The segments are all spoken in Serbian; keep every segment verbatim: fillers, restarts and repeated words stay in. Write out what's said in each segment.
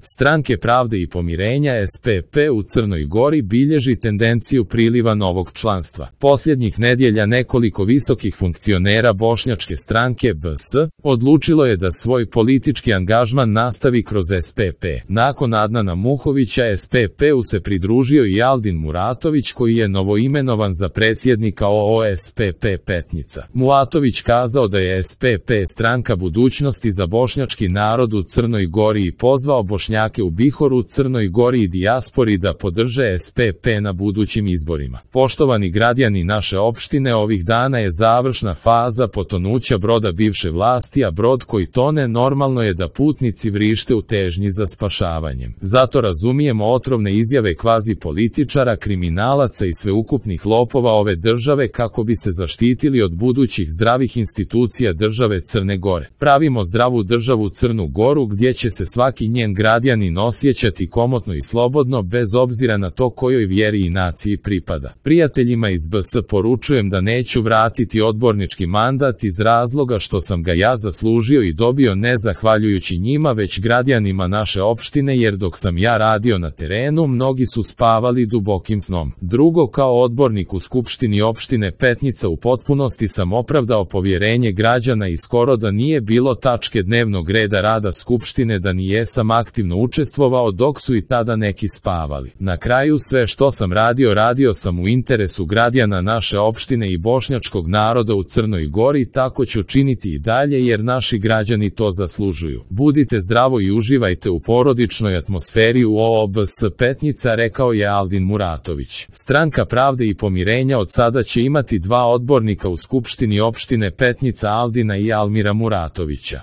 Stranke pravde i pomirenja S P P u Crnoj Gori bilježi tendenciju priliva novog članstva. Posljednjih nedjelja nekoliko visokih funkcionera bošnjačke stranke B S odlučilo je da svoj politički angažman nastavi kroz S P P. Nakon Adnana Muhovića S P P-u se pridružio i Aldin Muratović koji je novoimenovan za predsjednika O O S P P Petnica. Muratović kazao da je S P P stranka budućnosti za bošnjački narod u Crnoj Gori i pozvao Bošnjake u Bihoru, Crnoj Gori i dijaspori da podrže S P P na budućim izborima. Poštovani građani naše opštine, ovih dana je završna faza potonuća broda bivše vlasti, a brod koji tone normalno je da putnici vrište u težnji za spašavanjem. Zato razumijemo otrovne izjave kvazi političara, kriminalaca i sveukupnih lopova ove države kako bi se zaštitili od budućih zdravih institucija države Crne Gore. Pravimo zdravu državu Crnu Goru gdje će se svaki njen građanin osjećati komotno i slobodno bez obzira na to kojoj vjeri i naciji pripada. Prijateljima iz B S poručujem da neću vratiti odbornički mandat iz razloga što sam ga ja zaslužio i dobio ne zahvaljujući njima već građanima naše opštine, jer dok sam ja radio na terenu mnogi su spavali dubokim snom. Drugo, kao odbornik u Skupštini opštine Petnica u potpunosti sam opravdao povjerenje građana i skoro da nije bilo tačke dnevnog reda rada Skupštine da ni jesam aktivno učestvovao dok su i tada neki spavali. Na kraju, sve što sam radio radio sam u interesu građana naše opštine i bošnjačkog naroda u Crnoj Gori, tako ću činiti i dalje jer naši građani to zaslužuju. Budite zdravo i uživajte u porodičnoj atmosferi u O O B S Petnica, rekao je Aldin Muratović. Stranka pravde i pomirenja od sada će imati dva odbornika u Skupštini opštine Petnica, Aldina i Almira Muratovića.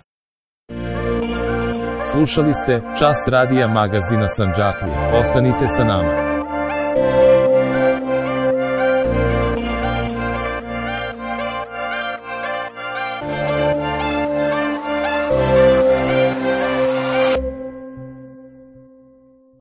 Slušali ste Čas radija magazina Sandžaklija. Ostanite sa nama.